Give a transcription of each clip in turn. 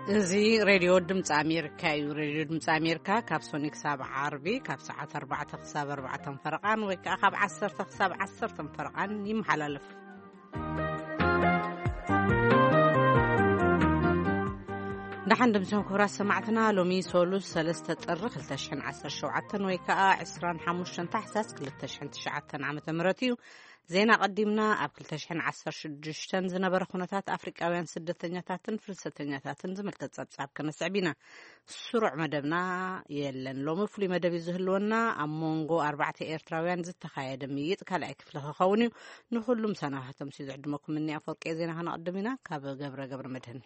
እዚ ሬድዮ ድምፂ ኣሜሪካ እዩ። ሬድዮ ድምፂ ኣሜሪካ ካብ ሶኒ ክሳብ ዓርቢ ካብ ሰዓት ኣርባዕተ ክሳብ ኣርባዕተ ፈረቓን ወይ ከዓ ካብ ዓሰርተ ክሳብ ዓሰርተ ፈረቓን ይመሓላለፍ። ደሓን ድምፅን ክቡራት ሰማዕትና፣ ሎሚ ሶሉስ ሰለስተ ጥሪ ክልተ ሽሕን ዓሰርተ ሸውዓተን ወይ ከዓ ዕስራን ሓሙሽተን ታሕሳስ ክልተ ሽሕን ትሽዓተን ዓመተ ምህረት እዩ። ዜና ቀዲምና ኣብ ክልተ ሽሕን ዓሰርተ ሽዱሽተን ዝነበረ ኩነታት ኣፍሪቃውያን ስደተኛታትን ፍልሰተኛታትን ዝምልከት ጸብጻብ ከነስዕብ ኢና። ስሩዕ መደብና የለን። ሎሚ ፍሉይ መደብ እዩ ዝህልወና። ኣብ መንጎ ኣርባዕተ ኤርትራውያን ዝተኻየደ ምይይጥ ካልኣይ ክፍሊ ክኸውን እዩ። ንኹሉም ሰናባቶም ሲዝዕድመኩም እኒ ኣፈወርቂ ዜና ከነቐድም ኢና። ካብ ገብረ ገብረ መድህን።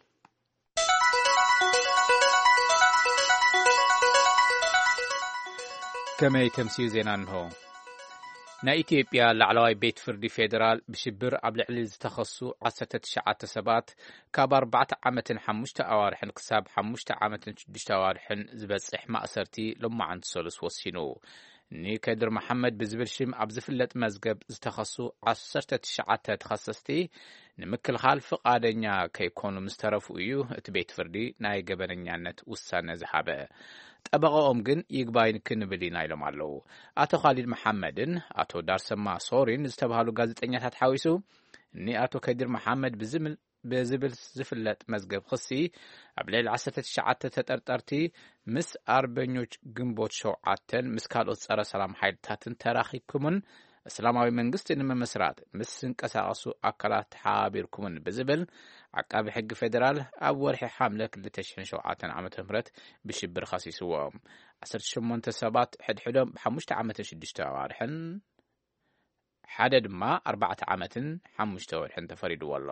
ከመይ ተምስዩ ዜና እንሆ። ናይ ኢትዮጵያ ላዕለዋይ ቤት ፍርዲ ፌዴራል ብሽብር ኣብ ልዕሊ ዝተኸሱ ዓሰርተ ትሽዓተ ሰባት ካብ ኣርባዕተ ዓመትን ሓሙሽተ ኣዋርሕን ክሳብ ሓሙሽተ ዓመትን ሽዱሽተ ኣዋርሕን ዝበጽሕ ማእሰርቲ ሎማዓንቲ ሰሉስ ወሲኑ። ኒከድር መሓመድ ብዝብል ሽም ኣብ ዝፍለጥ መዝገብ ዝተኸሱ ዓሰርተ ትሽዓተ ተኸሰስቲ ንምክልኻል ፍቓደኛ ከይኮኑ ምስ ተረፉ እዩ እቲ ቤት ፍርዲ ናይ ገበነኛነት ውሳነ ዝሃበ። ጠበቓኦም ግን ይግባይ ክንብል ኢና ኢሎም ኣለዉ። ኣቶ ኻሊድ መሓመድን ኣቶ ዳርሰማ ሶሪን ዝተባህሉ ጋዜጠኛታት ሓዊሱ፣ እኒ ኣቶ ከዲር መሓመድ ብዝምል-፣ ብዝብል ዝፍለጥ መዝገብ ክሲ ኣብ ልዕሊ ዓሰርተ ትሽዓተ ተጠርጠርቲ ምስ ኣርበኞች ግንቦት ሸውዓተን ምስ ካልኦት ጸረ ሰላም ሓይልታትን ተራኺብኩምን እስላማዊ መንግስቲ ንምምስራት ምስ ዝንቀሳቐሱ ኣካላት ተሓባቢርኩምን ብዝብል ዓቃቢ ሕጊ ፌዴራል ኣብ ወርሒ ሓምለ ክልተ ሽሕን ሸውዓተን ዓመተ ምህረት ብሽብር ኸሲስዎም። ዓሰርተ ሸሞንተ ሰባት ሕድሕዶም ብሓሙሽተ ዓመትን ሽዱሽተ ኣዋርሕን፣ ሓደ ድማ ኣርባዕተ ዓመትን ሓሙሽተ ወርሕን ተፈሪድዎ ኣሎ።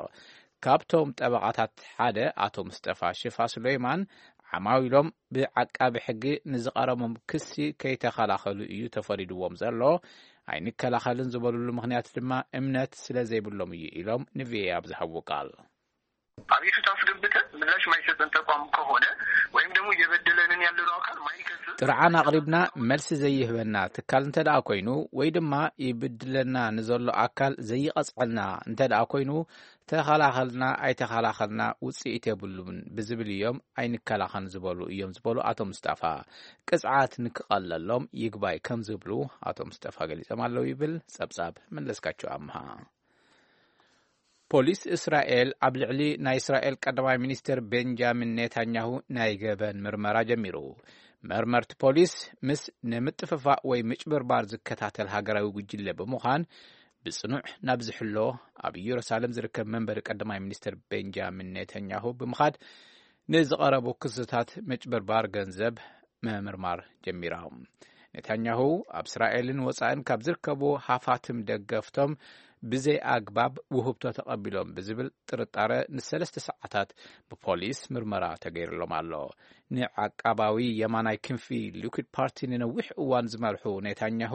ካብቶም ጠበቓታት ሓደ ኣቶ ምስጠፋ ሽፋ ሱለይማን ዓማዊሎም ብዓቃቢ ሕጊ ንዝቐረቦም ክሲ ከይተኸላኸሉ እዩ ተፈሪድዎም ዘሎ። ኣይንከላኸልን ዝበሉሉ ምኽንያት ድማ እምነት ስለ ዘይብሎም እዩ ኢሎም ንቪኦኤ ኣብ ዝሃብዎ ቃል። አቤቱታ አስገብተን ምላሽ ማይሰጠን ተቋም ከሆነ ወይም ደግሞ እየበደለንን ያለነው አካል ማይከስ ጥርዓን ኣቕሪብና መልሲ ዘይህበና ትካል እንተ ደኣ ኮይኑ ወይ ድማ ይብድለና ንዘሎ ኣካል ዘይቐጽዐልና እንተ ደኣ ኮይኑ ተኸላኸልና ኣይተኸላኸልና ውጽኢት የብሉን ብዝብል እዮም ኣይንከላኸን ዝበሉ እዮም ዝበሉ ኣቶ ምስጠፋ ቅጽዓት ንክቐለሎም ይግባይ ከም ዝብሉ ኣቶ ምስጠፋ ገሊጾም ኣለዉ ይብል ጸብጻብ መለስካቸው ኣምሃ። ፖሊስ እስራኤል ኣብ ልዕሊ ናይ እስራኤል ቀዳማይ ሚኒስትር ቤንጃሚን ኔታንያሁ ናይ ገበን ምርመራ ጀሚሩ። መርመርቲ ፖሊስ ምስ ንምጥፍፋእ ወይ ምጭብርባር ዝከታተል ሃገራዊ ጉጅለ ብምዃን ብጽኑዕ ናብ ዝሕሎ ኣብ ኢየሩሳሌም ዝርከብ መንበሪ ቀዳማይ ሚኒስትር ቤንጃሚን ኔታንያሁ ብምኻድ ንዝቐረቡ ክስታት ምጭብርባር ገንዘብ ምምርማር ጀሚራ። ኔታንያሁ ኣብ እስራኤልን ወጻእን ካብ ዝርከቡ ሃፋትም ደገፍቶም ብዘይ ኣግባብ ውህብቶ ተቐቢሎም ብዝብል ጥርጣረ ንሰለስተ ሰዓታት ብፖሊስ ምርመራ ተገይርሎም ኣሎ። ንዓቃባዊ የማናይ ክንፊ ሊኩድ ፓርቲ ንነዊሕ እዋን ዝመርሑ ኔታንያሁ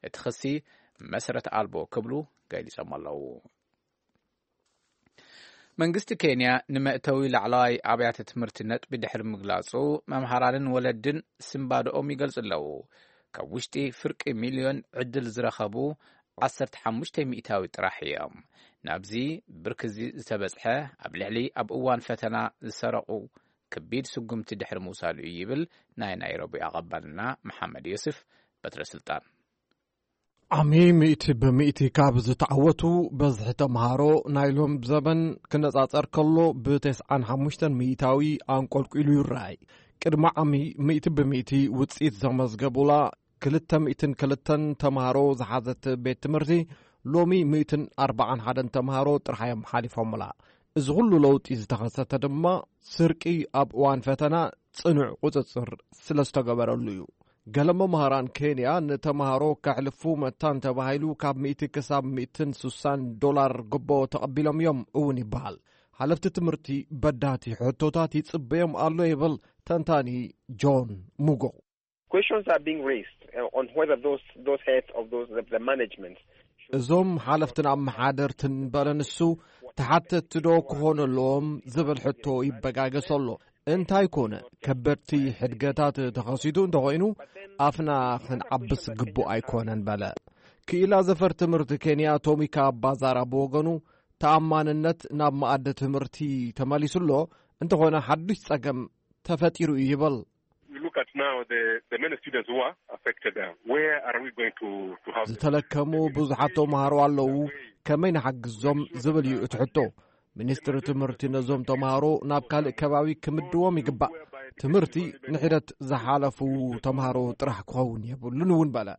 እቲ ክሲ መሰረት ኣልቦ ክብሉ ገሊጾም ኣለዉ። መንግስቲ ኬንያ ንመእተዊ ላዕለዋይ ኣብያተ ትምህርቲ ነጥቢ ድሕሪ ምግላጹ መምሃራንን ወለድን ስንባደኦም ይገልጹ ኣለዉ። ካብ ውሽጢ ፍርቂ ሚልዮን ዕድል ዝረኸቡ ዓሰርተ ሓሙሽተ ሚእታዊ ጥራሕ እዮም። ናብዚ ብርክዚ ዝተበጽሐ ኣብ ልዕሊ ኣብ እዋን ፈተና ዝሰረቑ ከቢድ ስጉምቲ ድሕሪ ምውሳዱ እዩ ይብል ናይ ናይሮቢ ኣቐባልና መሓመድ ዮስፍ በትረ ስልጣን። ዓሚ ሚእቲ ብሚእቲ ካብ ዝተዓወቱ በዝሒ ተምሃሮ ናይ ሎም ዘበን ክነጻጸር ከሎ ብተስዓን ሓሙሽተን ሚእታዊ ኣንቆልቂሉ ይረኣይ። ቅድሚ ዓሚ ሚእቲ ብሚእቲ ውጽኢት ዘመዝገቡላ ክልተ ሚእትን ክልተን ተምሃሮ ዝሓዘት ቤት ትምህርቲ ሎሚ ሚእትን ኣርባዓን ሓደን ተምሃሮ ጥራሕ እዮም ሓሊፎምላ። እዚ ኩሉ ለውጢ ዝተኸሰተ ድማ ስርቂ ኣብ እዋን ፈተና ጽኑዕ ቁጽጽር ስለ ዝተገበረሉ እዩ። ገለ መምሃራን ኬንያ ንተምሃሮ ከሕልፉ መታን ተባሂሉ ካብ ሚእቲ ክሳብ ሚእትን ስሳን ዶላር ግቦ ተቐቢሎም እዮም እውን ይበሃል። ሓለፍቲ ትምህርቲ በዳህቲ ሕቶታት ይጽበዮም ኣሎ ይብል ተንታኒ ጆን ሙጎ። Questions are being raised uh, on whether those those heads of those the, the management እዞም ሓለፍትን ኣመሓደርትን በለ ንሱ ተሓተትቲ ዶ ክኾኑ ኣለዎም ዝብል ሕቶ ይበጋገስ ኣሎ። እንታይ ኮነ ከበድቲ ሕድገታት ተኸሲቱ እንተኾይኑ ኣፍና ክንዓብስ ግቡእ ኣይኮነን በለ። ክኢላ ዘፈር ትምህርቲ ኬንያ ቶሚካ ባዛራ ብወገኑ ተኣማንነት ናብ መኣዲ ትምህርቲ ተመሊሱ ኣሎ። እንተኾነ ሓዱሽ ጸገም ተፈጢሩ እዩ ይብል። You look at now the, the many students who are affected there. Where are we going to, to have them? ዝተለከሙ ብዙሓት ተምሃሮ ኣለዉ። ከመይ ንሓግዞም ዝብል እዩ እቲ ሕቶ። ሚኒስትሪ ትምህርቲ ነዞም ተምሃሮ ናብ ካልእ ከባቢ ክምድዎም ይግባእ። ትምህርቲ ንሒደት ዝሓለፉ ተምሃሮ ጥራሕ ክኸውን የብሉን እውን በለ።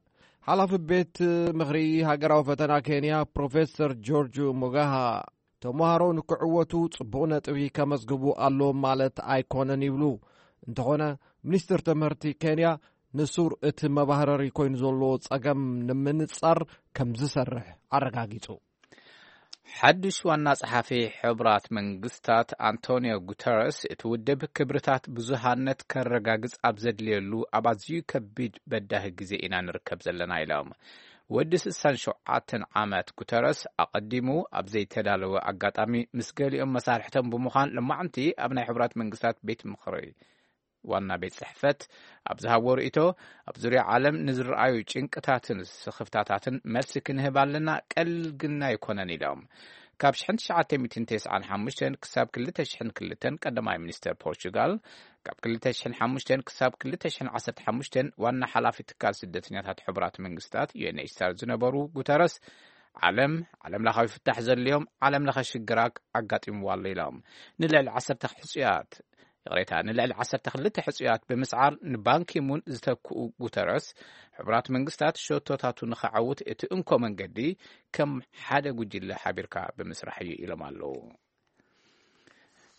ሓላፊ ቤት ምኽሪ ሃገራዊ ፈተና ኬንያ ፕሮፌሰር ጆርጅ ሞጋሃ፣ ተምሃሮ ንክዕወቱ ጽቡቕ ነጥቢ ከመዝግቡ ኣለዎም ማለት ኣይኮነን ይብሉ። እንተኾነ፣ ሚኒስትር ትምህርቲ ኬንያ ንሱር እቲ መባህረሪ ኮይኑ ዘሎ ጸገም ንምንጻር ከም ዝሰርሕ ኣረጋጊጹ። ሓድሽ ዋና ጸሓፊ ሕቡራት መንግስታት ኣንቶኒዮ ጉተረስ፣ እቲ ውድብ ክብርታት ብዙሃነት ከረጋግጽ ኣብ ዘድልየሉ ኣብ ኣዝዩ ከቢድ በዳሂ ግዜ ኢና ንርከብ ዘለና ኢሎም። ወዲ ስሳን ሸውዓተን ዓመት ጉተረስ ኣቐዲሙ ኣብ ዘይተዳለወ ኣጋጣሚ ምስ ገሊኦም መሳርሕቶም ብምዃን ሎማዕንቲ ኣብ ናይ ሕቡራት መንግስታት ቤት ምኽሪ ዋና ቤት ጽሕፈት ኣብ ዝሃቦ ርእይቶ፣ ኣብ ዙርያ ዓለም ንዝረኣዩ ጭንቅታትን ስኽፍታታትን መልሲ ክንህብ ኣለና፣ ቀሊል ግን ኣይኮነን ኢሎም። ካብ ሽሕን ትሽዓተ ሚእትን ተስዓን ሓሙሽተን ክሳብ ክልተ ሽሕን ክልተን ቀዳማይ ሚኒስተር ፖርቹጋል፣ ካብ ክልተ ሽሕን ሓሙሽተን ክሳብ ክልተ ሽሕን ዓሰርተ ሓሙሽተን ዋና ሓላፊ ትካል ስደተኛታት ሕቡራት መንግስታት ዩ ኤን ኤች ሲ ኣር ዝነበሩ ጉተረስ፣ ዓለም ዓለም ለኻዊ ፍታሕ ዘድልዮም ዓለም ለኸ ሽግራት ኣጋጢምዋ ኣሎ ኢሎም። ንልዕሊ ዓሰርተ ሕጹያት ይቕሬታ፣ ንልዕሊ ዓሰርተ ክልተ ሕጹያት ብምስዓር ንባንኪሙን ዝተክኡ ጉተረስ፣ ሕቡራት መንግስታት ሸቶታቱ ንኸዓውት እቲ እንኮ መንገዲ ከም ሓደ ጉጅለ ሓቢርካ ብምስራሕ እዩ ኢሎም ኣለዉ።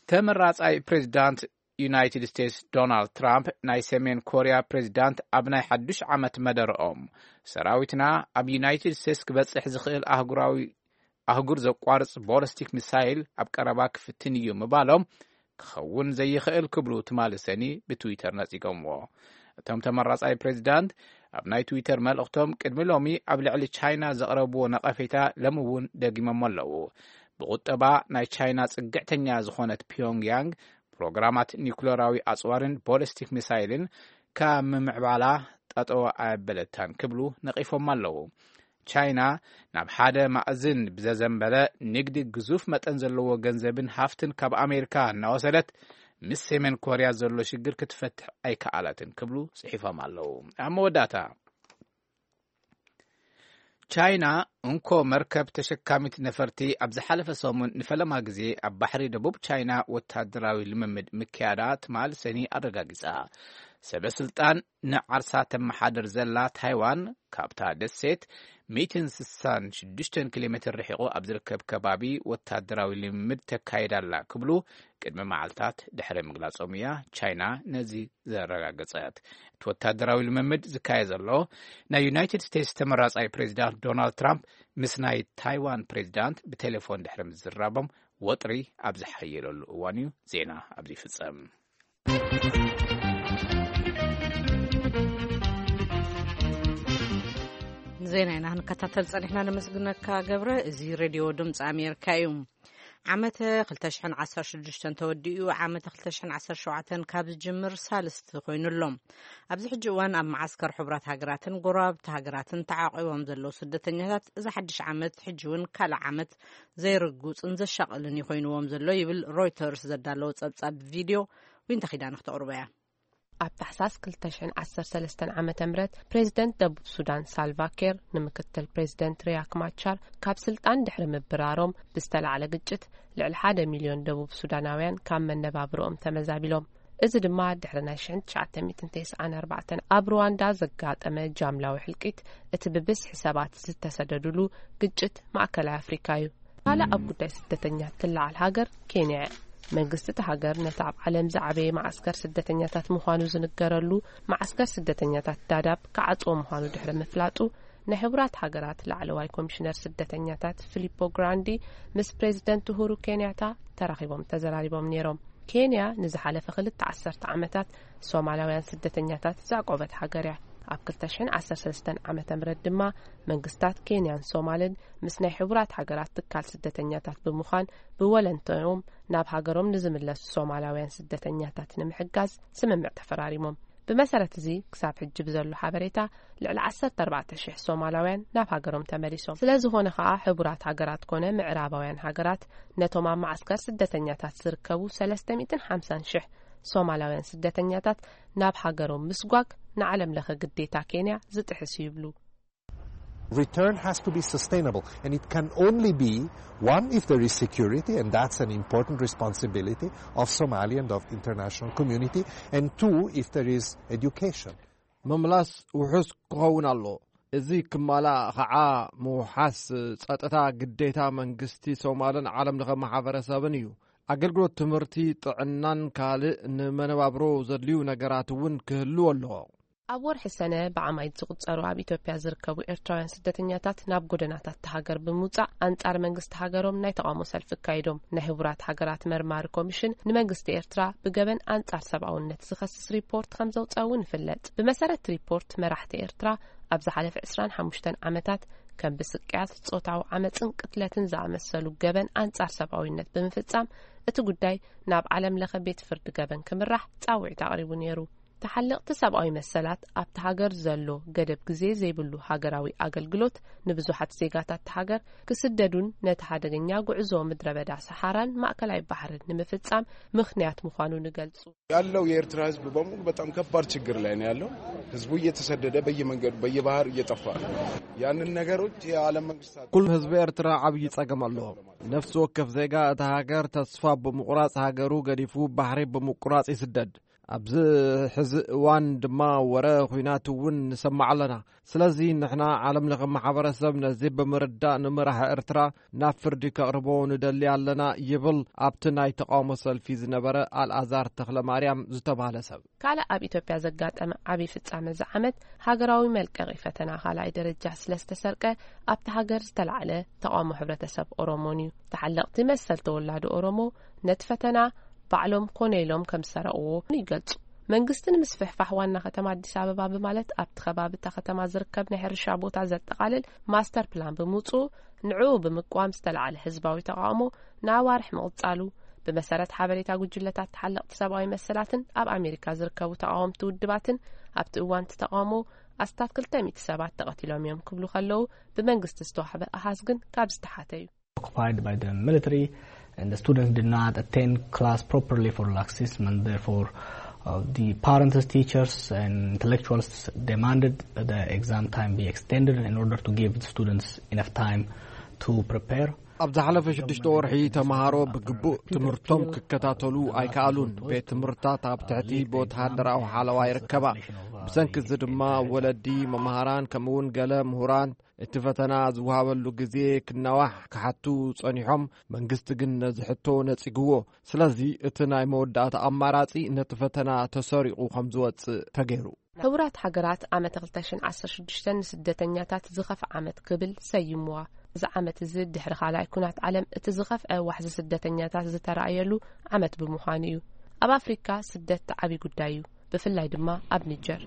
ተመራጻይ ፕሬዚዳንት ዩናይትድ ስቴትስ ዶናልድ ትራምፕ፣ ናይ ሰሜን ኮርያ ፕሬዚዳንት ኣብ ናይ ሓዱሽ ዓመት መደረኦም፣ ሰራዊትና ኣብ ዩናይትድ ስቴትስ ክበጽሕ ዝኽእል ኣህጉራዊ ኣህጉር ዘቋርጽ ቦለስቲክ ሚሳይል ኣብ ቀረባ ክፍትን እዩ ምባሎም ክኸውን ዘይኽእል ክብሉ ትማሊ ሰኒ ብትዊተር ነጺጎምዎ። እቶም ተመራጻይ ፕሬዚዳንት ኣብ ናይ ትዊተር መልእኽቶም፣ ቅድሚ ሎሚ ኣብ ልዕሊ ቻይና ዘቕረብዎ ነቐፌታ ሎሚ እውን ደጊሞሞ ኣለዉ። ብቑጠባ ናይ ቻይና ጽግዕተኛ ዝኾነት ፒዮንግያንግ፣ ፕሮግራማት ኒኩለራዊ ኣጽዋርን ቦለስቲክ ሚሳይልን ካብ ምምዕባላ ጠጠው ኣየበለታን ክብሉ ነቒፎም ኣለዉ። ቻይና ናብ ሓደ ማእዝን ብዘዘንበለ ንግዲ ግዙፍ መጠን ዘለዎ ገንዘብን ሃፍትን ካብ ኣሜሪካ እናወሰደት፣ ምስ ሰሜን ኮርያ ዘሎ ሽግር ክትፈትሕ ኣይከኣለትን ክብሉ ጽሒፎም ኣለዉ። ኣብ መወዳእታ፣ ቻይና እንኮ መርከብ ተሸካሚት ነፈርቲ ኣብ ዝሓለፈ ሰሙን ንፈለማ ግዜ ኣብ ባሕሪ ደቡብ ቻይና ወታደራዊ ልምምድ ምክያዳ ትማል ሰኒ ኣረጋጊጻ። ሰበ ስልጣን ንዓርሳ ተመሓደር ዘላ ታይዋን፣ ካብታ ደሴት ሚእትን ስሳን ሽዱሽተን ኪሎ ሜትር ርሒቑ ኣብ ዝርከብ ከባቢ ወታደራዊ ልምምድ ተካይዳ ኣላ ክብሉ ቅድሚ መዓልታት ድሕሪ ምግላጾም እያ ቻይና ነዚ ዘረጋገጸት። እቲ ወታደራዊ ልምምድ ዝካየድ ዘሎ፣ ናይ ዩናይትድ ስቴትስ ተመራጻይ ፕሬዚዳንት ዶናልድ ትራምፕ ምስ ናይ ታይዋን ፕሬዚዳንት ብቴሌፎን ድሕሪ ምዝራቦም ወጥሪ ኣብ ዝሓየለሉ እዋን እዩ። ዜና ኣብዚ ይፍጸም። ዜና ኢና ክንከታተል ጸኒሕና። ነመስግነካ ገብረ። እዚ ሬድዮ ድምፂ ኣሜሪካ እዩ። ዓመተ ክልተ ሽሕን ዓሰርተ ሽዱሽተን ተወዲኡ፣ ዓመተ ክልተ ሽሕን ዓሰርተ ሸውዓተን ካብ ዝጅምር ሳልስቲ ኮይኑ ኣሎ። ኣብዚ ሕጂ እዋን ኣብ መዓስከር ሕቡራት ሃገራትን ጎረባብቲ ሃገራትን ተዓቂቦም ዘለዉ ስደተኛታት፣ እዚ ሓድሽ ዓመት ሕጂ እውን ካልእ ዓመት ዘይርጉጽን ዘሻቕልን እዩ ኮይንዎም ዘሎ ይብል ሮይተርስ ዘዳለዎ ጸብጻብ ቪድዮ። ዊንታ ኪዳነ ክተቕርቦ እያ። ኣብ ታሕሳስ ክልተ ሽሕን ዓሰርተ ሰለስተን ዓመተ ምህረት፣ ፕሬዚደንት ደቡብ ሱዳን ሳልቫ ኬር ንምክትል ፕሬዚደንት ሪያክ ማቻር ካብ ስልጣን ድሕሪ ምብራሮም ብዝተላዕለ ግጭት፣ ልዕሊ ሓደ ሚልዮን ደቡብ ሱዳናውያን ካብ መነባብሮኦም ተመዛቢሎም። እዚ ድማ ድሕሪ ናይ ሽሕን ትሽዓተ ሚእትን ተስዓን ኣርባዕተን ኣብ ሩዋንዳ ዘጋጠመ ጃምላዊ ሕልቂት፣ እቲ ብብዝሒ ሰባት ዝተሰደዱሉ ግጭት ማእከላይ ኣፍሪካ እዩ። ካልእ ኣብ ጉዳይ ስደተኛታት ትለዓል ሃገር ኬንያ እያ። መንግስቲ እታ ሃገር ነቲ ኣብ ዓለም ዝዓበየ መዓስከር ስደተኛታት ምዃኑ ዝንገረሉ መዓስከር ስደተኛታት ዳዳብ ክዓጽዎ ምዃኑ ድሕሪ ምፍላጡ፣ ናይ ሕቡራት ሃገራት ላዕለዋይ ኮሚሽነር ስደተኛታት ፊሊፖ ግራንዲ ምስ ፕሬዚደንት ኡሁሩ ኬንያታ ተራኺቦም ተዘራሪቦም ነይሮም። ኬንያ ንዝሓለፈ ክልተ ዓሰርተ ዓመታት ሶማላውያን ስደተኛታት ዘዕቆበት ሃገር እያ። ኣብ ክልተ ሽሕን ዓሰርተ ሰለስተን ዓመተ ምህረት ድማ መንግስታት ኬንያን ሶማልን ምስ ናይ ሕቡራት ሃገራት ትካል ስደተኛታት ብምዃን ብወለንተኦም ናብ ሃገሮም ንዝምለሱ ሶማላውያን ስደተኛታት ንምሕጋዝ ስምምዕ ተፈራሪሞም። ብመሰረት እዚ፣ ክሳብ ሕጂ ብዘሎ ሓበሬታ፣ ልዕሊ ዓሰርተ ኣርባዕተ ሽሕ ሶማላውያን ናብ ሃገሮም ተመሊሶም። ስለ ዝኾነ ከኣ፣ ሕቡራት ሃገራት ኮነ ምዕራባውያን ሃገራት፣ ነቶም ኣብ መዓስከር ስደተኛታት ዝርከቡ ሰለስተ ሚእትን ሓምሳን ሽሕ ሶማላውያን ስደተኛታት ናብ ሃገሮም ምስጓግ፣ ንዓለም ለኸ ግዴታ ኬንያ ዝጥሕስ እዩ ይብሉ። Return has to be sustainable, and it can only be, one, if there is security, and that's an important responsibility of Somali and of international community, and two, if there is education. ምምላስ ውሑስ ክኸውን ኣሎ። እዚ ክማላእ ኸዓ ምውሓስ ጸጥታ ግዴታ መንግስቲ ሶማልን ዓለም ለኸ ማሕበረሰብን እዩ። ኣገልግሎት ትምህርቲ፣ ጥዕናን ካልእ ንመነባብሮ ዘድልዩ ነገራት እውን ክህልው ኣለዎ። ኣብ ወርሒ ሰነ ብኣማኢት ዝቑጸሩ ኣብ ኢትዮጵያ ዝርከቡ ኤርትራውያን ስደተኛታት ናብ ጎደናታት እታ ሃገር ብምውጻእ ኣንጻር መንግስቲ ሃገሮም ናይ ተቓውሞ ሰልፊ ኣካይዶም። ናይ ሕቡራት ሃገራት መርማሪ ኮሚሽን ንመንግስቲ ኤርትራ ብገበን ኣንጻር ሰብኣውነት ዝኸስስ ሪፖርት ከም ዘውጸ እውን ይፍለጥ። ብመሰረት ሪፖርት መራሕቲ ኤርትራ ኣብ ዝሓለፈ ዕስራን ሓሙሽተን ዓመታት ከም ብስቅያት፣ ጾታዊ ዓመጽን ቅትለትን ዝኣመሰሉ ገበን ኣንጻር ሰብኣዊነት ብምፍጻም እቲ ጉዳይ ናብ ዓለም ለኸ ቤት ፍርዲ ገበን ክምራሕ ጻውዒት ኣቕሪቡ ነይሩ። ተሓለቕቲ ሰብኣዊ መሰላት ኣብቲ ሃገር ዘሎ ገደብ ግዜ ዘይብሉ ሃገራዊ ኣገልግሎት ንብዙሓት ዜጋታት እታ ሃገር ክስደዱን ነቲ ሓደገኛ ጉዕዞ ምድረ በዳ ሰሓራን ማእከላይ ባሕርን ንምፍጻም ምኽንያት ምዃኑን ይገልጹ። ያለው የኤርትራ ህዝብ በሙሉ በጣም ከባድ ችግር ላይ ነው ያለው። ህዝቡ እየተሰደደ በየመንገዱ በየባህር እየጠፋ ነው። ያንን ነገሮች የዓለም መንግስታት ኩሉ ህዝቢ ኤርትራ ዓብዪ ጸገም ኣለዎ። ነፍሲ ወከፍ ዜጋ እታ ሃገር ተስፋ ብምቑራጽ ሃገሩ ገዲፉ ባሕሪ ብምቁራጽ ይስደድ። ኣብዚ ሕዚ እዋን ድማ ወረ ኹናት እውን ንሰማዕ ኣለና። ስለዚ ንሕና ዓለም ለኸ ማሕበረሰብ ነዚ ብምርዳእ ንመራሒ ኤርትራ ናብ ፍርዲ ከቕርቦ ንደሊ ኣለና ይብል ኣብቲ ናይ ተቓውሞ ሰልፊ ዝነበረ ኣልኣዛር ተኽለ ማርያም ዝተባህለ ሰብ። ካልእ ኣብ ኢትዮጵያ ዘጋጠመ ዓቢ ፍጻመ እዚ ዓመት ሃገራዊ መልቀቒ ፈተና ካልኣይ ደረጃ ስለ ዝተሰርቀ ኣብቲ ሃገር ዝተላዕለ ተቓውሞ ሕብረተሰብ ኦሮሞን እዩ። ተሓለቕቲ መሰል ተወላዶ ኦሮሞ ነቲ ፈተና ባዕሎም ኮነ ኢሎም ከም ዝሰረቕዎ ይገልጹ። መንግስቲ ንምስፍሕፋሕ ዋና ከተማ ኣዲስ ኣበባ ብማለት ኣብቲ ከባቢ እታ ከተማ ዝርከብ ናይ ሕርሻ ቦታ ዘጠቓልል ማስተር ፕላን ብምውጽኡ ንዕኡ ብምቅዋም ዝተላዕለ ህዝባዊ ተቓውሞ ንኣዋርሕ ምቕጻሉ ብመሰረት ሓበሬታ ጉጅለታት ተሓለቕቲ ሰብኣዊ መሰላትን ኣብ ኣሜሪካ ዝርከቡ ተቓወምቲ ውድባትን ኣብቲ እዋን እቲ ተቓውሞ ኣስታት ክልተ ሚእቲ ሰባት ተቐቲሎም እዮም ክብሉ ከለዉ ብመንግስቲ ዝተዋሕበ ኣሃዝ ግን ካብ ዝተሓተ እዩ። occupied by the military, and the students did not attend class properly for laxism, and therefore uh, the parents, teachers, and intellectuals demanded that the exam time be extended in order to give the students enough time to prepare. ኣብ ዝሓለፈ ሽዱሽተ ወርሒ ተምሃሮ ብግቡእ ትምህርቶም ክከታተሉ ኣይከኣሉን። ቤት ትምህርታት ኣብ ትሕቲ ብወተሃደራዊ ሓለዋ ይርከባ። ብሰንኪ እዚ ድማ ወለዲ፣ መምሃራን ከምኡውን ገለ ምሁራን እቲ ፈተና ዝወሃበሉ ግዜ ክናዋሕ ክሓቱ ጸኒሖም። መንግስቲ ግን ነዚ ሕቶ ነጺግዎ። ስለዚ እቲ ናይ መወዳእታ ኣማራጺ ነቲ ፈተና ተሰሪቑ ከም ዝወጽእ ተገይሩ። ሕቡራት ሃገራት ዓመተ ክልተ ሽሕን ዓሰርተ ሽዱሽተን ንስደተኛታት ዝኸፍእ ዓመት ክብል ሰይምዋ። እዚ ዓመት እዚ ድሕሪ ካልኣይ ኩናት ዓለም እቲ ዝኸፍአ ዋሕዚ ስደተኛታት ዝተራእየሉ ዓመት ብምዃኑ እዩ። ኣብ ኣፍሪካ ስደት ዓቢ ጉዳይ እዩ። ብፍላይ ድማ ኣብ ኒጀር።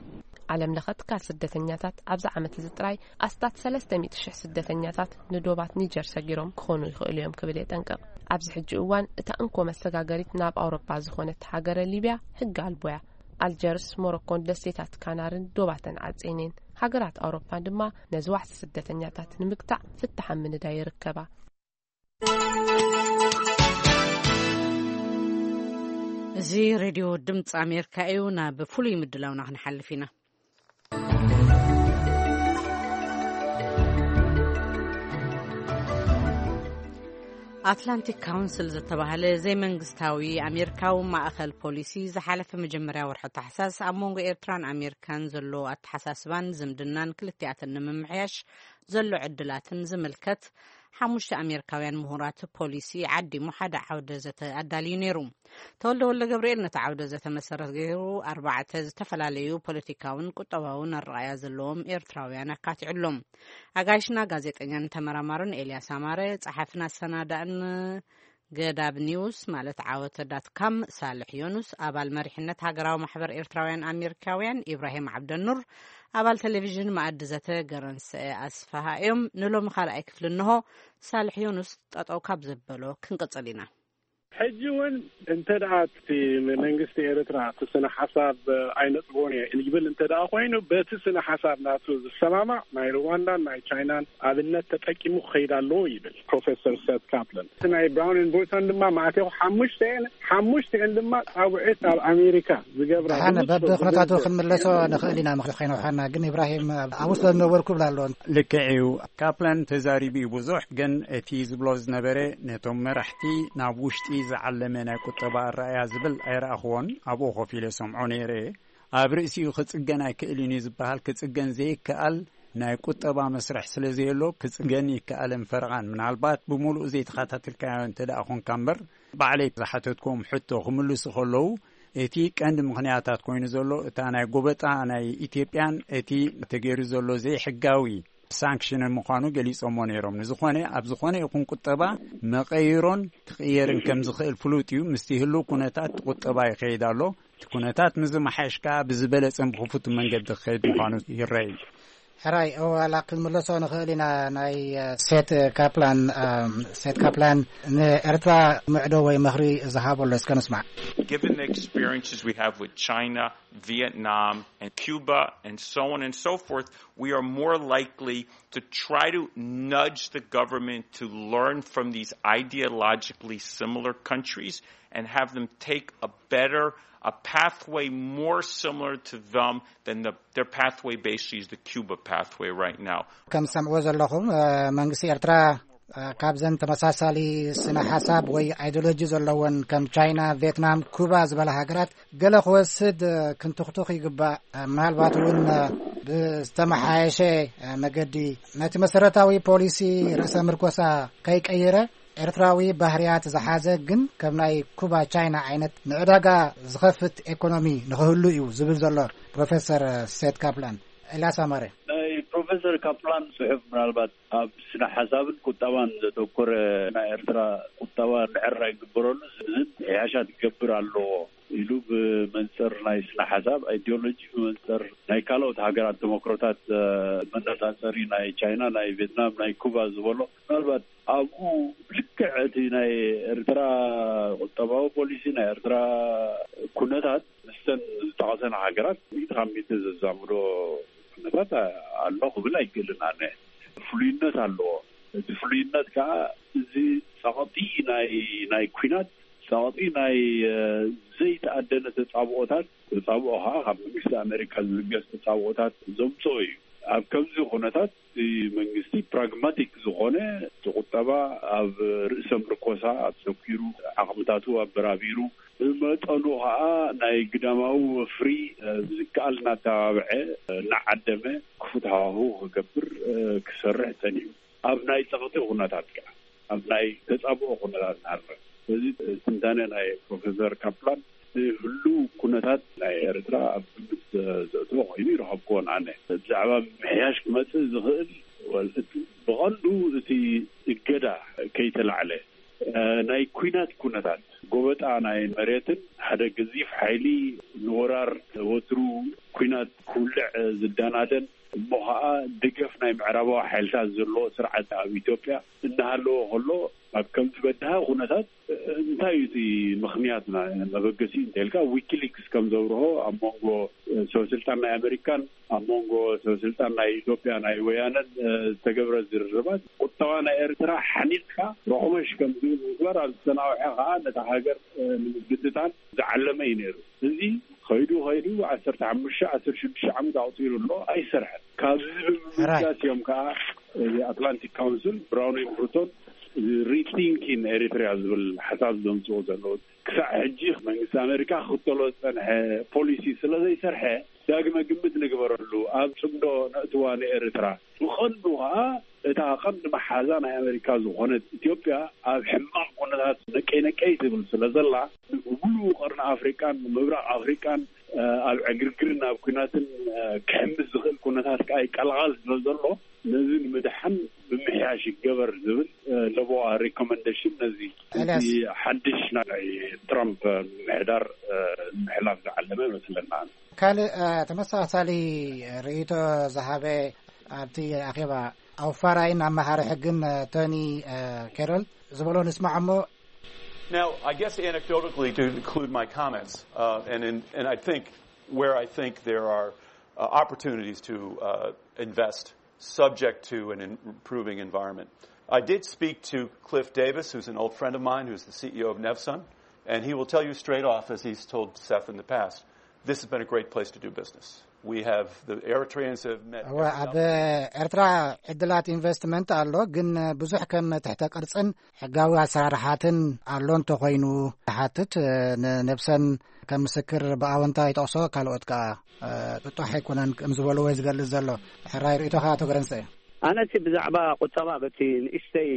ዓለም ለኸ ትካል ስደተኛታት ኣብዚ ዓመት እዚ ጥራይ ኣስታት ሰለስተ ሚእቲ ሽሕ ስደተኛታት ንዶባት ኒጀር ሰጊሮም ክኾኑ ይኽእሉ እዮም ክብል የጠንቅቕ። ኣብዚ ሕጂ እዋን እታ እንኮ መሰጋገሪት ናብ ኣውሮፓ ዝኾነት ሃገረ ሊብያ ሕጊ ኣልቦያ። ኣልጀርስ፣ ሞሮኮን ደሴታት ካናርን ዶባተን ዓጼኔን። ሃገራት ኣውሮፓን ድማ ነዚ ዋሕዚ ስደተኛታት ንምግታዕ ፍታሕ ኣብ ምንዳይ ይርከባ። እዚ ሬድዮ ድምፂ ኣሜሪካ እዩ። ናብ ፍሉይ ምድላውና ክንሓልፍ ኢና። ኣትላንቲክ ካውንስል ዝተባህለ ዘይመንግስታዊ ኣሜሪካዊ ማእኸል ፖሊሲ ዝሓለፈ መጀመርያ ወርሒ ታሕሳስ ኣብ መንጎ ኤርትራን ኣሜሪካን ዘሎ ኣተሓሳስባን ዝምድናን ክልቲኣተን ንምምሕያሽ ዘሎ ዕድላትን ዝምልከት ሓሙሽተ ኣሜሪካውያን ምሁራት ፖሊሲ ዓዲሙ ሓደ ዓውደ ዘተ ኣዳልዩ ነይሩ። ተወልደ ወልደ ገብርኤል ነቲ ዓውደ ዘተ መሰረት ገይሩ ኣርባዕተ ዝተፈላለዩ ፖለቲካውን ቁጠባውን ኣረኣእያ ዘለዎም ኤርትራውያን ኣካቲዑሎም። ኣጋይሽና ጋዜጠኛን ተመራማርን ኤልያስ ኣማረ፣ ጸሓፍን ኣሰናዳእን ገዳብ ኒውስ ማለት ዓወተ ዳት ካም ሳልሕ ዮኑስ፣ ኣባል መሪሕነት ሃገራዊ ማሕበር ኤርትራውያን ኣሜሪካውያን ኢብራሂም ዓብደኑር፣ ኣባል ቴሌቪዥን መኣዲ ዘተ ገረንሰ ኣስፍሃ እዮም። ንሎሚ ካልኣይ ክፍሊ እንሆ። ሳልሕ ዮኑስ ጠጠው ካብ ዘበሎ ክንቅጽል ኢና። ሕጂ እውን እንተ ደኣ እቲ መንግስቲ ኤርትራ እቲ ስነ ሓሳብ ኣይነጥቦን እየ ይብል እንተ ደኣ ኮይኑ፣ በቲ ስነ ሓሳብ ናቱ ዝሰማማዕ ናይ ሩዋንዳን ናይ ቻይናን ኣብነት ተጠቂሙ ክኸይድ ኣለዎ ይብል ፕሮፌሰር ሰት ካፕለን። እቲ ናይ ብራውን ኤንድ ቦይቶን ድማ ማእቴኹ ሓሙሽተኤን ሓሙሽተኤን ድማ ጻውዒት ኣብ ኣሜሪካ ዝገብራ ደሓን ብንጹር በብኩነታቱ ዝግልጽ ክንምለሶ ንኽእል ኢና። ምኽሪ ከይነውሓና ግን፣ ኢብራሂም፣ ኣብኡ ስለ ዝነበርኩ ብላ ኣለዎ። ልክዕ እዩ። ካፕላን ተዛሪቡ እዩ ብዙሕ፣ ግን እቲ ዝብሎ ዝነበረ ነቶም መራሕቲ ናብ ውሽጢ ዝዓለመ ናይ ቁጠባ ኣረኣያ ዝብል ኣይረኣኽዎን። ኣብኡ ኮፍ ኢለ ሰምዖ ነይረ። ኣብ ርእሲኡ ክጽገን ኣይክእልን እዩ ዝበሃል ክጽገን ዘይከኣል ናይ ቁጠባ መስርሕ ስለ ዘየሎ፣ ክጽገን ይከኣልን ፈረቓን። ምናልባት ብምሉኡ ዘይተኸታተልካዮ እንተ ደኣ ኾንካ እምበር፣ ባዕለይ ዝሓተትኩም ሕቶ ክምልሱ ከለዉ፣ እቲ ቀንዲ ምኽንያታት ኮይኑ ዘሎ እታ ናይ ጎበጣ ናይ ኢትዮጵያን እቲ ተገይሩ ዘሎ ዘይሕጋዊ ሳንክሽንን ምዃኑ ገሊጾሞ ነይሮም። ንዝኾነ፣ ኣብ ዝኾነ ይኹን ቁጠባ መቐይሮን ክቕየርን ከም ዝኽእል ፍሉጥ እዩ። ምስቲ ህሉው ኩነታት ቁጠባ ይኸይድ ኣሎ። እቲ ኩነታት ምዝመሓየሽ ከኣ ብዝበለጸን ብኽፉት መንገዲ ክኸይድ ምዃኑ ይረአ እዩ። ሕራይ፣ እወ፣ ዋላ ክንምለሶ ንኽእል ኢና። ናይ፣ እ፣ ሴት ካፕላን፣ እ፣ ሴት ካፕላን ንኤርትራ ምዕዶ ወይ ምኽሪ ዝሃበሎ እስከ ንስማዕ። Given the experiences we have with China, Vietnam, and Cuba, and so on and so forth, we are more likely to try to nudge the government to learn from these ideologically similar countries and have them take a better, a pathway more similar to them than the, their pathway basically is the Cuba pathway right now. ከም ትሰምዕዎ ዘለኹም፣ እ፣ መንግስቲ ኤርትራ፣ እ፣ ካብዘን ተመሳሳሊ ስነ ሓሳብ ወይ ኣይዲዮሎጂ ዘለወን ከም ቻይና፣ ቪየትናም፣ ኩባ ዝበላ ሃገራት ገለ ክወስድ፣ እ፣ ክንትኽቱኽ ይግባእ። እ፣ ምናልባት እውን፣ እ፣ ብዝተመሓየሸ፣ እ፣ መገዲ ነቲ መሰረታዊ ፖሊሲ ርእሰ ምርኮሳ ከይቀየረ ኤርትራዊ ባህርያት ዝሓዘ ግን ከም ናይ ኩባ፣ ቻይና ዓይነት ንዕዳጋ ዝኸፍት ኤኮኖሚ ንኽህሉ እዩ ዝብል ዘሎ ፕሮፌሰር ሴት ካፕላን። ኤልያስ ኣማረ። ናይ ፕሮፌሰር ካፕላን ጽሑፍ ምናልባት ኣብ ስነ ሓሳብን ቁጠባን ዘተኮረ፣ ናይ ኤርትራ ቁጠባ ምዕራይ ይግበረሉ፣ ዝን ምሕያሻት ክገብር ኣለዎ ኢሉ ብመንጽር ናይ ስነ ሓሳብ፣ ኣይዲዮሎጂ ብመንጽር ናይ ካልኦት ሃገራት ተመክሮታት፣ እ፣ መነጻጸሪ ናይ ቻይና፣ ናይ ቪየትናም፣ ናይ ኩባ ዝበሎ ምናልባት ኣብኡ ልክዕ እቲ ናይ ኤርትራ ቁጠባዊ ፖሊሲ፣ ናይ ኤርትራ ኩነታት ምስተን ዝጠቐሰን ሃገራት ሚእቲ ካብ ሚእቲ ዘዛምዶ ኩነታት ኣሎ ክብል ኣይክእልን ኣነ። ፍሉይነት ኣለዎ። እቲ ፍሉይነት ከዓ እዚ ጸቕጢ ናይ፣ ናይ ኲናት፣ ጸቕጢ ናይ፣ እ፣ ዘይተኣደነ ተጻብኦታት፣ ተጻብኦ ከዓ ካብ መንግስቲ ኣሜሪካ ዝብገስ ተጻብኦታት ዘምጽኦ እዩ። ኣብ ከምዚ ኩነታት እቲ መንግስቲ ፕራግማቲክ ዝኾነ፣ እቲ ቁጠባ ኣብ ርእሰ ምርኮሳ ኣተኲሩ፣ ዓቕምታቱ ኣበራቢሩ፣ ብመጠኑ ከዓ ናይ ግዳማዊ ወፍሪ፣ እ፣ ብዝከኣል እናተባብዐ፣ እ፣ እናዓደመ ክፉት ሃዋህው ክገብር፣ እ፣ ክሰርሕ ጸኒሑ። ኣብ ናይ ጸቕጢ ኩነታት ከዓ፣ ኣብ ናይ ተጻብኦ ኩነታት ንሃድር። ስለዚ ትንታነ ናይ ፕሮፌሰር ካፕላን ንህሉው ኩነታት ናይ ኤርትራ ኣብ ግምት ዘእትዎ ኮይኑ ይረኸብክዎን ኣነ። ብዛዕባ ምሕያሽ ክመጽእ ዝኽእል ወል-፣ እቲ ብቐንዱ እቲ እገዳ ከይተላዕለ፣ እ፣ ናይ ኲናት ኩነታት፣ ጎበጣ ናይ መሬትን ሓደ ገዚፍ ሓይሊ ንወራር ወትሩ ኲናት ክውልዕ ዝዳናደን እሞ ኸዓ ደገፍ ናይ ምዕራባዊ ሓይልታት ዘለዎ ስርዓት ኣብ ኢትዮጵያ እናሃለወ ከሎ፣ ኣብ ከምዚ በድሃ ኩነታት እንታይ እዩ እቲ ምኽንያት ና-፣ መበገሲ እንተልካ፣ ዊኪሊክስ ከም ዘብርሆ ኣብ መንጎ ሰበ ስልጣን ናይ ኣሜሪካን ኣብ መንጎ ሰበ ስልጣን ናይ ኢትዮጵያ ናይ ወያነን፣ እ፣ ዝተገብረ ዝርርባት ቁጠባ ናይ ኤርትራ ሓኒቕካ ረኹመሽ ከም ዝብል ምግባር ኣብ ዝተናውሐ ኸዓ ነታ ሃገር፣ እ፣ ንምብትታን ዝዓለመ እዩ ነይሩ። እዚ ኸይዱ ኸይዱ ዓሰርተ ሓሙሽተ ዓሰርተ ሽዱሽተ ዓመት ኣቑጺሩ ኣሎ፣ ኣይሰርሐን። ካብዚ ብምብጋስ እዮም ከዓ እዚ ኣትላንቲክ ካውንስል ብራውን ኤንድ ብሩቶን ሪቲንኪን ኤሪትሪያ ዝብል ሓሳብ ዘምፅኡ ዘለዉ። ክሳዕ ሕጂ መንግስቲ ኣሜሪካ ክኽተሎ ዝፀንሐ ፖሊሲ ስለ ዘይሰርሐ ዳግመ ግምት ንግበረሉ፣ ኣብ ፅምዶ ነእትዋ ንኤርትራ። ብቐንዱ ከዓ እታ ቀንዲ መሓዛ ናይ ኣሜሪካ ዝኾነት ኢትዮጵያ ኣብ ሕማቕ ኩነታት ነቀይ ነቀይ ትብል ስለ ዘላ፣ ብሙሉእ ቀርኒ ኣፍሪቃን ምብራቕ ኣፍሪቃን፣ እ፣ ኣብ ዕግርግርን ኣብ ኲናትን፣ እ፣ ክሕምስ ዝኽእል ኩነታት ከዓ ይቀላቐል ስለ ዘሎ፣ ነዚ ንምድሓን ምምሕያሽ ይገበር ዝብል፣ እ፣ ለበዋ ሪኮመንዴሽን ነዚ፣ ኤልያስ። ነዚ ሓድሽ ናይ ትራምፕ ምምሕዳር፣ እ፣ ንምሕላፍ ዝዓለመ ይመስለና። ካልእ፣ እ፣ ተመሳሳሊ ርእይቶ ዝሃበ ኣብቲ ኣኼባ ኣውፋራይን ኣመሃሪ ሕግን፣ እ፣ ቶኒ፣ እ፣ ኬሮል ዝበሎ ንስማዕ እሞ። Now, I guess anecdotally, to include my comments, uh, and, in, and I think where I think there are uh, opportunities to uh, invest subject to an improving environment. I did speak to Cliff Davis, who's an old friend of mine, who's the C E O of Nevsun, and he will tell you straight off, as he's told Seth in the past, this has been a great place to do business. We have the Eritreans have met. እወ፣ ኣብ ኤርትራ ዕድላት ኢንቨስትመንት ኣሎ፣ ግን ብዙሕ ከም ትሕተ ቅርጽን ሕጋዊ ኣሰራርሓትን ኣሎ እንተኾይኑ ትሓትት። ንነብሰን ከም ምስክር ብኣወንታ ይጠቕሶ፣ ካልኦት ከኣ ጥጡሕ ኣይኮነን ከም ዝበልዎ ዝገልጽ ዘሎ። ሕራይ ርእይቶኻ ኣቶ ገረንሰ። ኣነሲ ብዛዕባ ቁጠባ በቲ ንእሽተይ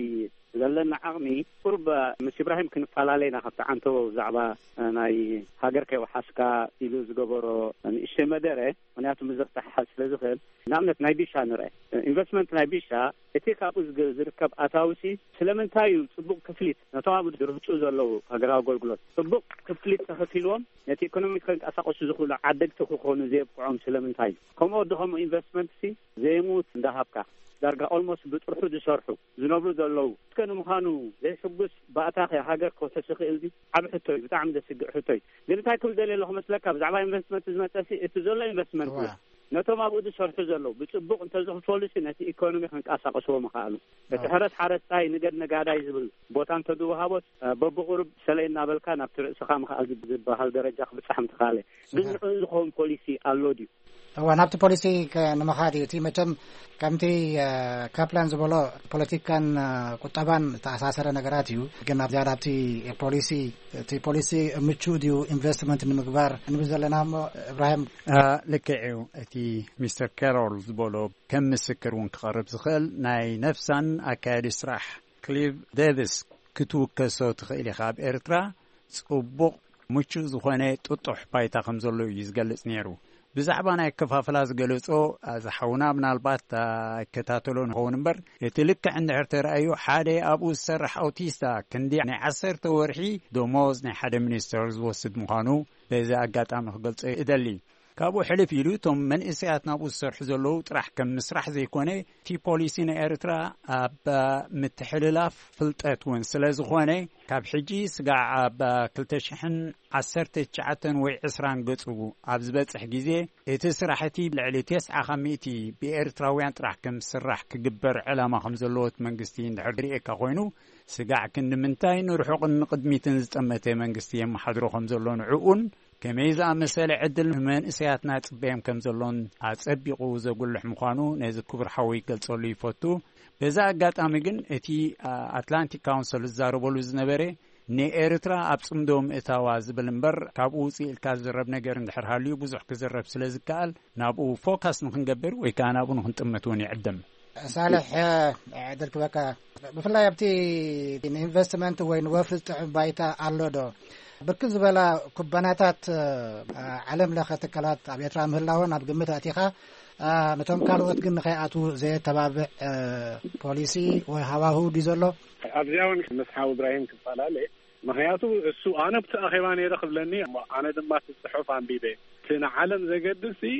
ዘለና ዓቕሚ ቁርብ ምስ ኢብራሂም ክንፈላለ ኢና። ካብቲ ዓንተቦ ብዛዕባ ናይ ሃገር ከይወሓስካ ኢሉ ዝገበሮ ንእሽተይ መደረ፣ ምክንያቱ ምስ ዘፍታሕሓዝ ስለ ዝኽእል። ንኣብነት ናይ ቢሻ ንርአ። ኢንቨስትመንት ናይ ቢሻ፣ እቲ ካብኡ ዝግ- ዝርከብ ኣታውሲ ስለምንታይ እዩ ጽቡቕ ክፍሊት ነቶም ኣብ ድርህጹ ዘለዉ ሃገራዊ ኣገልግሎት ጽቡቕ ክፍሊት ተኸፊልዎም ነቲ ኢኮኖሚ ከንቀሳቐሱ ዝኽእሉ ዓደግቲ ክኾኑ ዘየብቅዖም ስለምንታይ እዩ? ከምኡ ወዲ ከምኡ ኢንቨስትመንት ሲ ዘይሙት እንዳሃብካ ዳርጋ ኦልሞስት ብጥርሑ ዝሰርሑ ዝነብሩ ዘለዉ እስከ ንምዃኑ ዘይሕጉስ ባእታኸ ሃገር ክውሕስ ይኽእል ድዩ? ዓብ ሕቶ እዩ፣ ብጣዕሚ ዘስግእ ሕቶ እዩ። ግን እንታይ ክብል ደልየ ኣለኹ መስለካ፣ ብዛዕባ ኢንቨስትመንት ዝመጸ ሲ እቲ ዘሎ ኢንቨስትመንት እዋ። እዩ። ነቶም ኣብኡ ዝሰርሑ ዘለዉ ብጽቡቕ እንተዝኽፈሉ ሲ ነቲ ኢኮኖሚ ክንቀሳቐስዎ ምኽኣሉ። እቲ እዋ። ሕረስ ሓረስታይ ንገድ ነጋዳይ ዝብል ቦታ እንተዝወሃቦስ በብቑሩብ ሰለይ እናበልካ ናብቲ ርእስኻ ምኽኣል ዝበሃል ደረጃ ክብጻሕ ምትኽኣለ። ግን እዋ። ንዕኡ ዝኸውን ፖሊሲ ኣሎ ድዩ? እዋ፣ ናብቲ ፖሊሲ ከ- ንምኻድ እዩ። እቲ መቸም ከምቲ ካፕላን ዝበሎ ፖለቲካን ቁጠባን ዝተኣሳሰረ ነገራት እዩ። ግን ኣብ ዝያዳ ኣብቲ ፖሊሲ፣ እቲ ፖሊሲ ምቹእ ድዩ ኢንቨስትመንት ንምግባር ንብል ዘለና እሞ፣ እብራሂም። ልክዕ እዩ። እቲ ሚስተር ካሮል ዝበሎ ከም ምስክር እውን ክቐርብ ዝኽእል ናይ ነፍሳን ኣካያዲ ስራሕ ክሊቭ ዴቪስ ክትውከሶ ትኽእል ኢኻ። ኣብ ኤርትራ ጽቡቕ ምቹእ ዝኾነ ጥጡሕ ባይታ ከም ዘሎ እዩ ዝገልጽ ነይሩ። ብዛዕባ ናይ ኣከፋፍላ ዝገለጾ፣ እዚ ሓውና ምናልባት ኣይከታተሎ ንኸውን እምበር፣ እቲ ልክዕ እንድሕር ተራእዩ፣ ሓደ ኣብኡ ዝሰርሕ ኣውቲስታ ክንዲ ናይ ዓሰርተ ወርሒ ደሞዝ ናይ ሓደ ሚኒስተር ዝወስድ ምዃኑ በዚ ኣጋጣሚ ክገልጾ እደሊ። ካብኡ ሕልፍ ኢሉ እቶም መንእሰያት ናብኡ ዝሰርሑ ዘለዉ ጥራሕ ከም ምስራሕ ዘይኮነ፣ እቲ ፖሊሲ ናይ ኤርትራ ኣብ ምትሕልላፍ ፍልጠት እውን ስለ ዝኾነ፣ ካብ ሕጂ ስጋዕ ኣብ ክልተ ሽሕን ዓሰርተ ትሽዓተን ወይ ዕስራን ገጹ ኣብ ዝበጽሕ ግዜ፣ እቲ ስራሕ እቲ ልዕሊ ተስዓ ካብ ሚእቲ ብኤርትራውያን ጥራሕ ከም ዝስራሕ ክግበር ዕላማ ከም ዘለዎ እቲ መንግስቲ እንድሕር ርእየካ ኮይኑ፣ ስጋዕ ክንዲ ምንታይ ንርሑቕን ንቕድሚትን ዝጠመተ መንግስቲ የመሓድሮ ከም ዘሎ ንዕኡን ከመይ ዝኣመሰለ ዕድል ንመንእሰያትና ጽበዮም ከም ዘሎን ኣጸቢቑ ዘጉልሕ ምዃኑ ነዚ ክቡር ሓወይ ክገልጸሉ ይፈቱ። በዚ ኣጋጣሚ ግን እቲ ኣትላንቲክ ካውንስል ዝዛረበሉ ዝነበረ ንኤርትራ ኣብ ጽምዶ ምእታዋ ዝብል እምበር፣ ካብኡ ውጽእ ኢልካ ዝዝረብ ነገር እንድሕር ሃልዩ ብዙሕ ክዝረብ ስለ ዝከኣል ናብኡ ፎካስ ንኽንገብር ወይ ከኣ ናብኡ ንኽንጥምት እውን ይዕድም። ሳልሕ ዕድል ክበካ። ብፍላይ ኣብቲ ንኢንቨስትመንት ወይ ንወፍሪ ዝጥዕም ባይታ ኣሎ ዶ? ብርክት ዝበላ ኩባንያታት ዓለም ለኸ ትካላት ኣብ ኤርትራ ምህላወን ኣብ ግምት ኣእቲኻ፣ ነቶም ካልኦት ግን ንኸይኣትዉ ዘየተባብዕ ፖሊሲ ወይ ሃዋህው ድዩ ዘሎ? ኣብዚኣ እውን ምስ ሓው እብራሂም ክፈላለ። ምኽንያቱ እሱ ኣነ ኣብቲ ኣኼባ ነይረ ክብለኒ እሞ ኣነ ድማ እቲ ጽሑፍ ኣንቢበ። እቲ ንዓለም ዘገድስ ሲ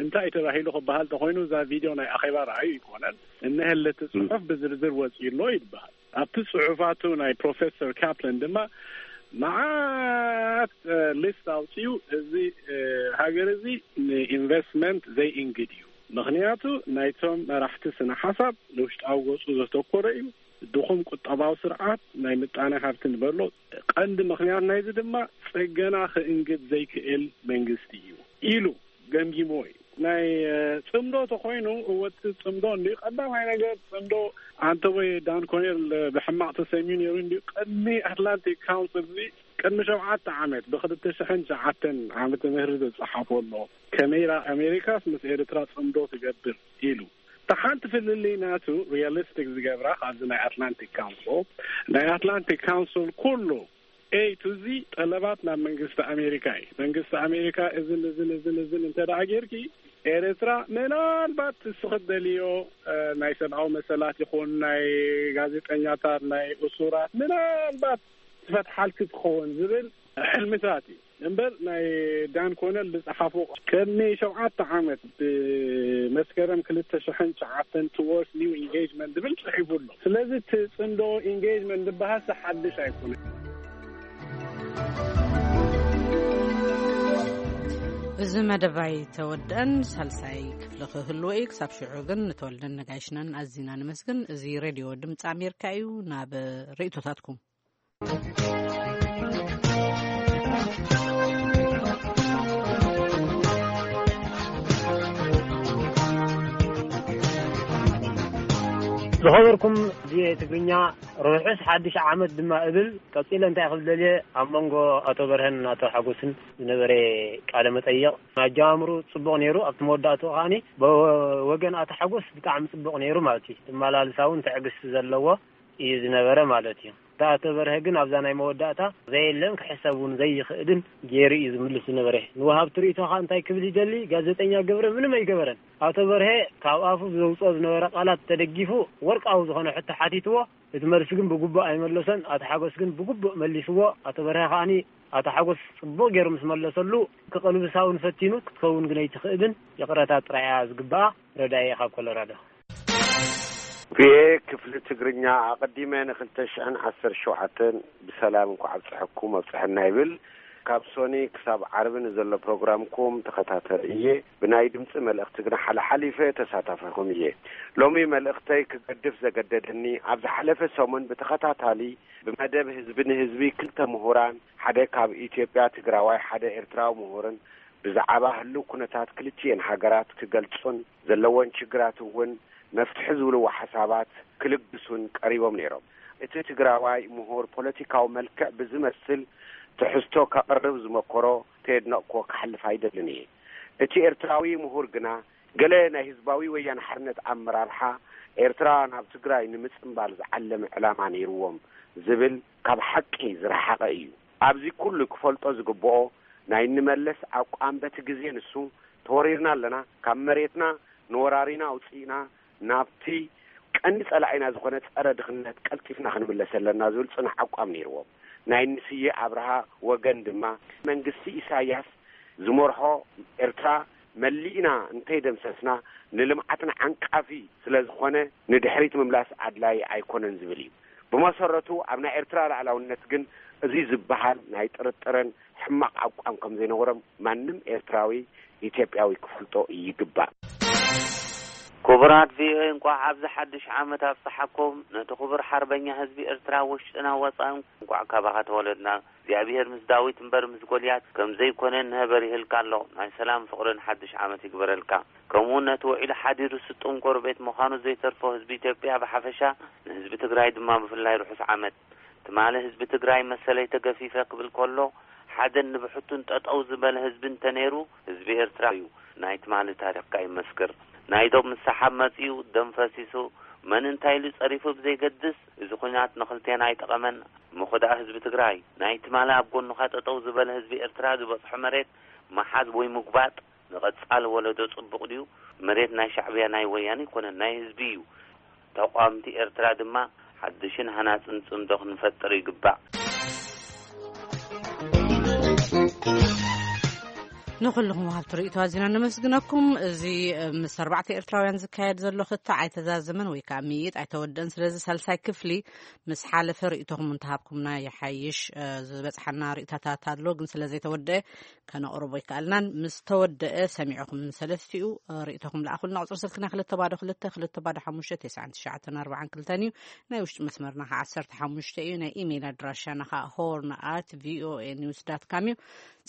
እንታይ እዩ ተባሂሉ ክበሃል ተኾይኑ እዛ ቪድዮ ናይ ኣኼባ ረኣዩ ይኮነን። እነሀለ እቲ ጽሑፍ ብዝርዝር ወጺኡ ኣሎ ይበሃል። ኣብቲ ጽሑፋቱ ናይ ፕሮፌሰር ካፕለን ድማ መዓት ሊስት ኣውጺኡ እዚ ሃገር እዚ ንኢንቨስትመንት ዘይእንግድ እዩ። ምኽንያቱ ናይቶም መራሕቲ ስነ ሓሳብ ንውሽጣዊ ገጹ ዘተኮረ እዩ። ድኹም ቁጠባዊ ስርዓት ናይ ምጣነ ሃብቲ ንበሎ ቀንዲ ምኽንያት ናይዚ ድማ ጽገና ክእንግድ ዘይክእል መንግስቲ እዩ ኢሉ ገምጊሞ እዩ። ናይ ጽምዶ ተኾይኑ እወ እቲ ጽምዶ እንዲ ቀዳማይ ነገር ጽምዶ ኣንተ ወይ ዳን ኮኔል ብሕማቕ ተሰሚዩ ነይሩ እንዲ ቅድሚ ኣትላንቲክ ካውንስል እዚ ቅድሚ ሸውዓተ ዓመት ብክልተ ሽሕን ትሽዓተን ዓመተ ምህረት ዝጸሓፎ ኣሎ ከመይ ኣሜሪካስ ምስ ኤርትራ ጽምዶ ትገብር ኢሉ። እታ ሓንቲ ፍልልይ ናቱ ሪያሊስቲክ ዝገብራ ካብዚ ናይ ኣትላንቲክ ካውንስል ናይ ኣትላንቲክ ካውንስል ኩሉ ኤ ቱ ዚ ጠለባት ናብ መንግስቲ ኣሜሪካ እዩ። መንግስቲ ኣሜሪካ እዝን እዝን እዝን እዝን እንተ ደኣ ጌርኪ ኤርትራ ምናልባት እስኺ ትደልዮ ናይ ሰብኣዊ መሰላት ይኹን ናይ ጋዜጠኛታት ናይ እሱራት ምናልባት ትፈትሓልኪ ትኸውን ዝብል ሕልምታት እዩ እምበር ናይ ዳን ኮነል ዝጸሓፎ ቅድሚ ሸውዓተ ዓመት ብመስከረም ክልተ ሽሕን ትሽዓተን towards new engagement ዝብል ጽሒፉ ኣሎ። ስለዚ እቲ ጽምዶ ኢንጌጅመንት ዝበሃል ሓድሽ ኣይኮነን። እዚ መደባይ ተወደአን ሳልሳይ ክፍሊ ክህልዎ እዩ። ክሳብ ሽዑ ግን ንተወልደን ነጋይሽናን ኣዚና ንመስግን። እዚ ሬድዮ ድምፂ ኣሜሪካ እዩ። ናብ ርእቶታትኩም። ዝኸበርኩም ቪኦኤ ትግርኛ፣ ርሑስ ሓድሽ ዓመት ድማ እብል። ቀጺለ እንታይ ክብል ደልየ፣ ኣብ መንጎ ኣቶ በርሀን ኣቶ ሓጎስን ዝነበረ ቃለ መጠይቕ፣ ኣጀማምሩ ጽቡቕ ነይሩ። ኣብቲ መወዳእትኡ ከኣኒ ብወገን ኣቶ ሓጎስ ብጣዕሚ ጽቡቕ ነይሩ ማለት እዩ። ትመላልሳ እውን ትዕግስቲ ዘለዎ እዩ ዝነበረ ማለት እዩ። እታ ኣቶ በርሀ ግን ኣብዛ ናይ መወዳእታ ዘየለን ክሕሰብ እውን ዘይኽእልን ገይሩ እዩ ዝምልስ ዝነበረ። ንወሃብቲ ርእይቶኻ እንታይ ክብል ይደሊ? ጋዜጠኛ ገብረ ምንም ኣይገበረን። ኣቶ በርሀ ካብ ኣፉ ዘውፅኦ ዝነበረ ቃላት ተደጊፉ ወርቃዊ ዝኾነ ሕቶ ሓቲትዎ። እቲ መልሲ ግን ብግቡእ ኣይመለሶን። ኣቶ ሓጎስ ግን ብግቡእ መሊስዎ። ኣቶ በርሀ ከዓኒ ኣቶ ሓጎስ ጽቡቕ ገይሩ ምስ መለሰሉ ክቕልብሳ እውን ፈቲኑ ክትከውን ግን ኣይትኽእልን። ይቕረታ ጥራይ እያ ዝግብኣ። ረዳኢ ካብ ኮሎራዶ። ቪኦኤ ክፍሊ ትግርኛ ኣቐዲመ ንክልተ ሽሕን ዓሰርተ ሸውዓተን ብሰላም እንኳዕ ኣብፀሐኩም ኣብፀሐና ይብል። ካብ ሶኒ ክሳብ ዓርቢ ንዘሎ ፕሮግራምኩም ተኸታተል እየ። ብናይ ድምፂ መልእኽቲ ግና ሓለሓሊፈ ተሳታፊኹም እየ። ሎሚ መልእኽተይ ክገድፍ ዘገደደኒ፣ ኣብ ዝሓለፈ ሰሙን ብተኸታታሊ ብመደብ ህዝቢ ንህዝቢ ክልተ ምሁራን፣ ሓደ ካብ ኢትዮጵያ ትግራዋይ፣ ሓደ ኤርትራዊ ምሁርን ብዛዕባ ህልው ኩነታት ክልቲኤን ሃገራት ክገልጹን ዘለወን ችግራት እውን መፍትሒ ዝብልዎ ሓሳባት ክልግሱን ቀሪቦም ነይሮም። እቲ ትግራዋይ ምሁር ፖለቲካዊ መልክዕ ብዝመስል ትሕዝቶ ከቕርብ ዝመኮሮ ከየድነቕኩዎ ክሓልፍ ኣይደልን እየ። እቲ ኤርትራዊ ምሁር ግና ገለ ናይ ህዝባዊ ወያነ ሓርነት ኣመራርሓ ኤርትራ ናብ ትግራይ ንምጽንባል ዝዓለመ ዕላማ ነይርዎም ዝብል ካብ ሓቂ ዝረሓቐ እዩ። ኣብዚ ኩሉ ክፈልጦ ዝግብኦ ናይ ንመለስ ኣቋም በቲ ግዜ ንሱ ተወሪርና ኣለና፣ ካብ መሬትና ንወራሪና ኣውፂእና ናብቲ ቀንዲ ጸላኢና ዝኾነ ጸረ ድኽነት ቀልጢፍና ክንምለስ ኣለና ዝብል ጽኑዕ ኣቋም ነይርዎም። ናይ ንስዬ ኣብርሃ ወገን ድማ መንግስቲ ኢሳያስ ዝመርሖ ኤርትራ መሊእና እንተይደምሰስና ንልምዓትና ዓንቃፊ ስለ ዝኾነ ንድሕሪት ምምላስ ኣድላይ ኣይኮነን ዝብል እዩ። ብመሰረቱ ኣብ ናይ ኤርትራ ላዕላውነት ግን እዚ ዝበሃል ናይ ጥርጥርን ሕማቕ ኣቋም ከም ዘይነበሮም ማንም ኤርትራዊ ኢትዮጵያዊ ክፈልጦ ይግባእ። ክቡራት ቪኦኤ፣ እንቋዕ ኣብዚ ሓድሽ ዓመት ኣብጽሓኩም። ነቲ ክቡር ሓርበኛ ህዝቢ ኤርትራ ውሽጥና ወጻእን እንቋዕ ካባኻ ተወለድና። እግዚኣብሔር ምስ ዳዊት እምበር ምስ ጎልያት ከም ዘይኮነ ንህበር ይህልካ ኣሎ። ናይ ሰላም ፍቕርን ሓድሽ ዓመት ይግበረልካ። ከምኡውን ነቲ ውዒሉ ሓዲሩ ስጡም ጎረቤት ምዃኑ ዘይተርፎ ህዝቢ ኢትዮጵያ ብሓፈሻ፣ ንህዝቢ ትግራይ ድማ ብፍላይ ርሑስ ዓመት። ትማሊ ህዝቢ ትግራይ መሰለይ ተገፊፈ ክብል ከሎ፣ ሓደን ንብሕቱን ጠጠው ዝበለ ህዝቢ እንተነይሩ፣ ህዝቢ ኤርትራ እዩ። ናይ ትማሊ ታሪኽካ ይመስክር። ናይ ዶብ ምስሓብ መጺኡ፣ ደም ፈሲሱ፣ መን እንታይ ኢሉ ጸሪፉ ብዘይገድስ፣ እዚ ኲናት ንኽልቴና ኣይጠቐመን። እሞ ኸ ደኣ ህዝቢ ትግራይ፣ ናይ ትማሊ ኣብ ጎንኻ ጠጠው ዝበለ ህዝቢ ኤርትራ ዝበጽሖ መሬት ምሓዝ ወይ ምጉባጥ ንቐጻሊ ወለዶ ጽቡቕ ድዩ? መሬት ናይ ሻዕብያ ናይ ወያነ ኣይኮነን፣ ናይ ህዝቢ እዩ። ተቋምቲ ኤርትራ ድማ ሓድሽን ሃናጽን ጽምዶ ክንፈጥር ይግባእ። ንኹልኹም ወሃብቲ ርእይቶ ኣዚና ነመስግነኩም። እዚ ምስ ኣርባዕተ ኤርትራውያን ዝካየድ ዘሎ ክትዕ ኣይተዛዘመን ወይ ከዓ ምይይጥ ኣይተወደን። ስለዚ ሳልሳይ ክፍሊ ምስ ሓለፈ ርእይቶኹም እንተሃብኩምና ይሓይሽ። እ፣ ዝበጽሓና ርእይቶታት ኣሎ፣ ግን ስለ ዘይተወደአ ከነቕርቦ ይከኣልናን። ምስ ተወደአ ሰሚዕኹም ሰለስቲኡ፣ እ፣ ርእይቶኹም ለኣኹልና። ቁጽሪ ስልክና ክልተ ባዶ ክልተ፣ ክልተ ባዶ ሓሙሽተ፣ ተስዓን ትሽዓተን ኣርባዓን ክልተን እዩ። ናይ ውሽጢ መስመርና ኸዓ ዓሰርተ ሓሙሽተ እዩ። ናይ ኢሜይል ኣድራሻና ኸዓ ሆርን ኣት ቪኦኤ ኒውስ ዳት ካም እዩ።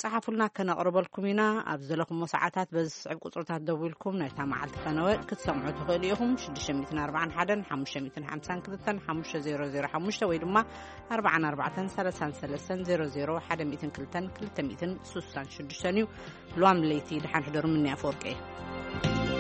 ጸሓፉልና፣ ከነቕርበልኩም ኢና። ኣብ ዘለኹሞ ሰዓታት በዚ ዝስዕብ ቁጽርታት ደዊልኩም ናይታ መዓልቲ ፈነወ ክትሰምዑ ትኽእሉ ኢኹም። ሽዱሽተ ሚእትን ኣርባዓን ሓደን ሓሙሽተ ሚእትን ሓምሳን ክልተን ሓሙሽተ ዜሮ ዜሮ ሓሙሽተ ወይ ድማ ኣርባዓን ኣርባዕተን ሰላሳን ሰለስተን ዜሮ ዜሮ ሓደ ሚእትን ክልተን ክልተ ሚእትን ስሳን ሽዱሽተን እዩ። ሎሚ ለይቲ ደሓን ሕደሩ። ምንያ ኣፈወርቂ እየ።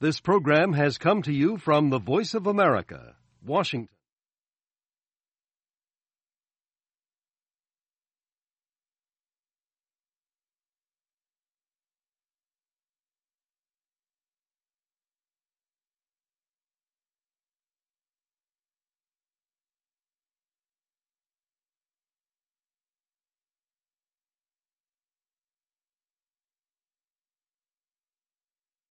This program has come to you from the Voice of America, Washington.